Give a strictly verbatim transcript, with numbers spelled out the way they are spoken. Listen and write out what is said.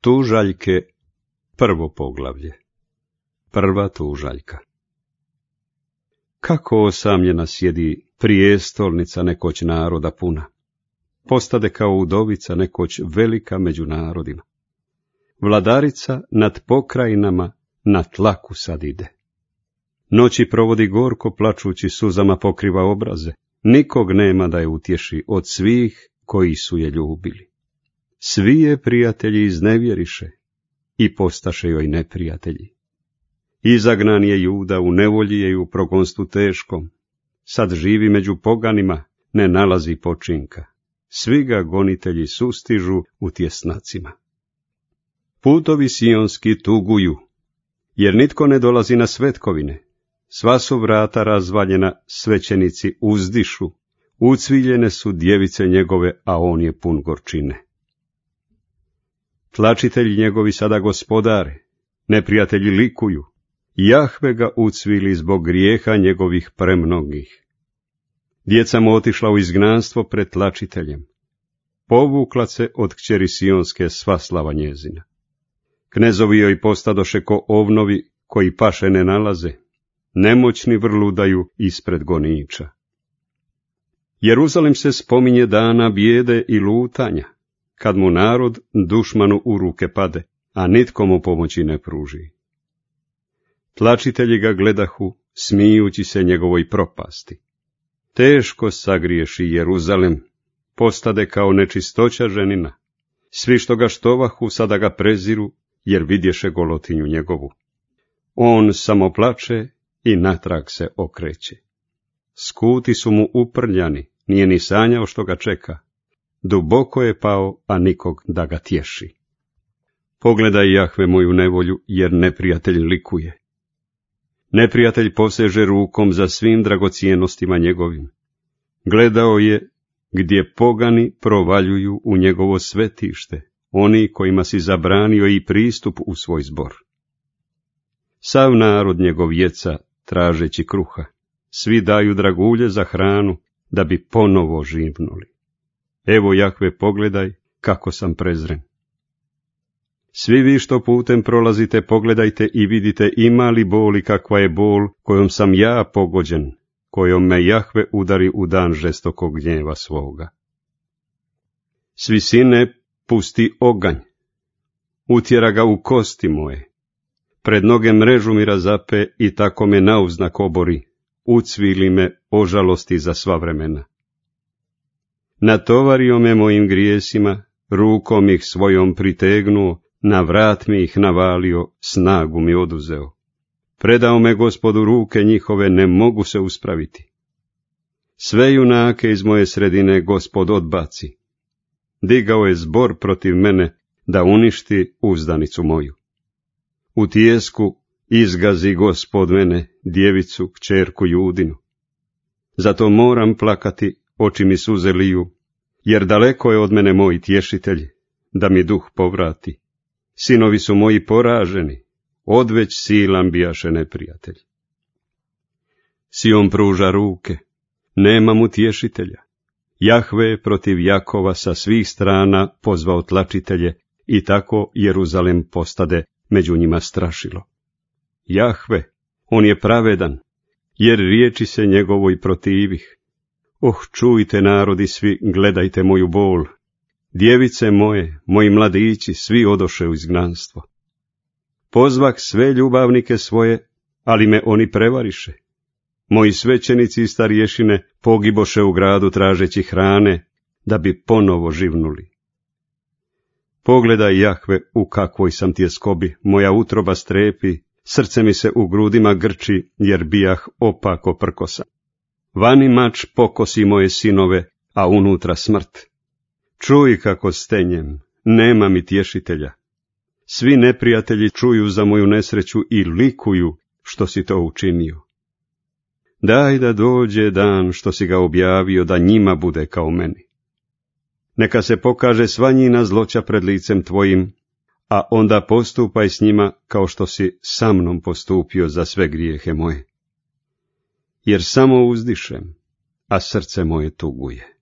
Tužaljke, prvo poglavlje. Prva tužaljka. Kako osamljena sjedi prijestolnica nekoć naroda puna, postade kao udovica nekoć velika među narodima. Vladarica nad pokrajinama na tlaku sad ide. Noći provodi gorko, plačući suzama pokriva obraze, nikog nema da je utješi od svih koji su je ljubili. Svi je prijatelji iznevjeriše i postaše joj neprijatelji. Izagnan je Juda, u nevolji je i u progonstvu teškom, sad živi među poganima, ne nalazi počinka, svi ga gonitelji sustižu u tjesnacima. Putovi sionski tuguju, jer nitko ne dolazi na svetkovine, sva su vrata razvaljena, svećenici uzdišu, ucviljene su djevice njegove, a on je pun gorčine. Tlačitelji njegovi sada gospodare, neprijatelji likuju, Jahve ga ucvili zbog grijeha njegovih premnogih. Djeca mu otišla u izgnanstvo pred tlačiteljem, povukla se od kćeri sionske sva slava njezina. Knezovi joj postadoše ko ovnovi koji paše ne nalaze, nemoćni vrludaju ispred goniča. Jeruzalem se spominje dana bijede i lutanja, kad mu narod dušmanu u ruke pade, a nitko mu pomoći ne pruži. Tlačitelji ga gledahu, smijući se njegovoj propasti. Teško sagriješi Jeruzalem, postade kao nečistoća ženina. Svi što ga štovahu sada ga preziru, jer vidješe golotinju njegovu. On samo plače i natrag se okreće. Skuti su mu uprljani, nije ni sanjao što ga čeka. Duboko je pao, a nikog da ga tješi. Pogledaj, Jahve, moju nevolju, jer neprijatelj likuje. Neprijatelj poseže rukom za svim dragocijenostima njegovim. Gledao je gdje pogani provaljuju u njegovo svetište, oni kojima si zabranio i pristup u svoj zbor. Sav narod njegov jeca, tražeći kruha, svi daju dragulje za hranu, da bi ponovo živnuli. Evo, Jahve, pogledaj kako sam prezren. Svi vi što putem prolazite, pogledajte i vidite ima li bol i kakva je bol kojom sam ja pogođen, kojom me Jahve udari u dan žestokog gnjeva svoga. S visine pusti oganj, utjera ga u kosti moje, pred noge mrežu mi razape i tako me nauznak obori, ucvili me o žalosti za sva vremena. Natovario me mojim grijesima, rukom ih svojom pritegnuo, na vrat mi ih navalio, snagu mi oduzeo. Predao me Gospodu ruke njihove, ne mogu se uspraviti. Sve junake iz moje sredine Gospod odbaci. Digao je zbor protiv mene, da uništi uzdanicu moju. U tijesku izgazi Gospod mene, djevicu, kćerku Judinu. Zato moram plakati, oči mi suze liju, jer daleko je od mene moj tješitelj, da mi duh povrati. Sinovi su moji poraženi, odveć silan bijaše neprijatelj. Sion pruža ruke, nema mu tješitelja. Jahve je protiv Jakova sa svih strana pozvao tlačitelje i tako Jeruzalem postade među njima strašilo. Jahve, on je pravedan, jer riječi se njegovoj protivih. Oh, čujte narodi svi, gledajte moju bol. Djevice moje, moji mladići, svi odoše u izgnanstvo. Pozvah sve ljubavnike svoje, ali me oni prevariše. Moji svećenici i starješine pogiboše u gradu tražeći hrane, da bi ponovo živnuli. Pogledaj, Jahve, u kakvoj sam tjeskobi, moja utroba strepi, srce mi se u grudima grči, jer bijah opako prkosan. Vani mač pokosi moje sinove, a unutra smrt. Čuj kako stenjem, nema mi tješitelja. Svi neprijatelji čuju za moju nesreću i likuju što si to učinio. Daj da dođe dan što si ga objavio, da njima bude kao meni. Neka se pokaže sva njina zloća pred licem tvojim, a onda postupaj s njima kao što si sa mnom postupio za sve grijehe moje. Jer samo uzdišem, a srce moje tuguje.